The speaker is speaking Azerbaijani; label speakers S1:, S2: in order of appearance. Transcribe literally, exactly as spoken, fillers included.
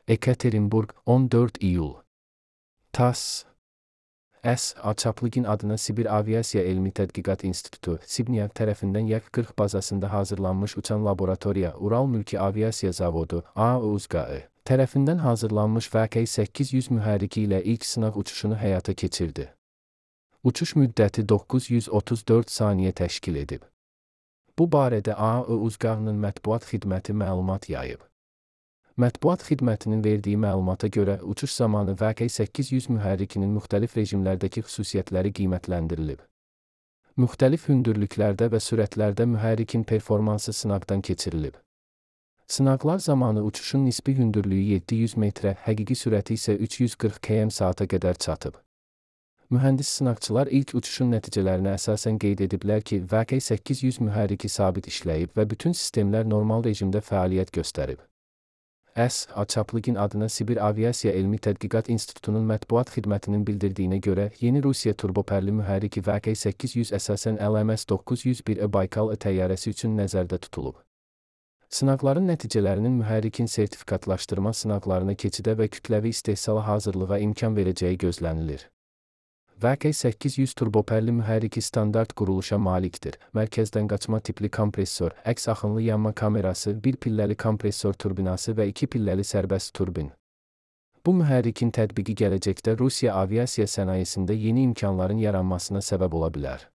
S1: Ekaterinburg, on dörd iyul. TASS. S. Çaplıgin adına Sibir Aviasiya Elmi Tədqiqat İnstitutu, Sibniyev tərəfindən Yak qırx bazasında hazırlanmış uçan laboratoriya, Ural Mülki Aviasiya Zavodu, A I U Z G A tərəfindən hazırlanmış V K səkkiz yüz mühərriki ilə ilk sınaq uçuşunu həyata keçirdi. Uçuş müddəti doqquz yüz otuz dörd saniyə təşkil edib. Bu barədə A I U Z G A-nın mətbuat xidməti məlumat yayıb. Mətbuat xidmətinin verdiyi məlumata görə uçuş zamanı V K səkkiz yüz mühərrikinin müxtəlif rejimlərdəki xüsusiyyətləri qiymətləndirilib. Müxtəlif hündürlüklərdə və sürətlərdə mühərrikin performansı sınaqdan keçirilib. Sınaqlar zamanı uçuşun nisbi hündürlüyü yeddi yüz metrə, həqiqi sürəti isə üç yüz qırx kilometr saata qədər çatıb. Mühəndis sınaqçılar ilk uçuşun nəticələrinə əsasən qeyd ediblər ki, V K səkkiz yüz mühərriki sabit işləyib və bütün sistemlər normal rejimdə fəaliyyət göstərib. S. Çaplıgin adına Sibir Aviasiya Elmi Tədqiqat İnstitutunun mətbuat xidmətinin bildirdiyinə görə, yeni Rusiya turbopərli mühərriki V K səkkiz yüz əsasən L M S doqquz yüz bir E Baykal təyyarəsi üçün nəzərdə tutulub. Sınaqların nəticələrinin mühərrikin sertifikatlaşdırma sınaqlarına keçidə və kütləvi istehsala hazırlığa imkan verəcəyi gözlənilir. V K səkkiz yüz turbopərli mühərriki standart quruluşa malikdir. Mərkəzdən qaçma tipli kompressor, əks axınlı yanma kamerası, bir pilləli kompressor turbinası və iki pilləli sərbəst turbin. Bu mühərrikin tətbiqi gələcəkdə Rusiya aviasiya sənayesində yeni imkanların yaranmasına səbəb ola bilər.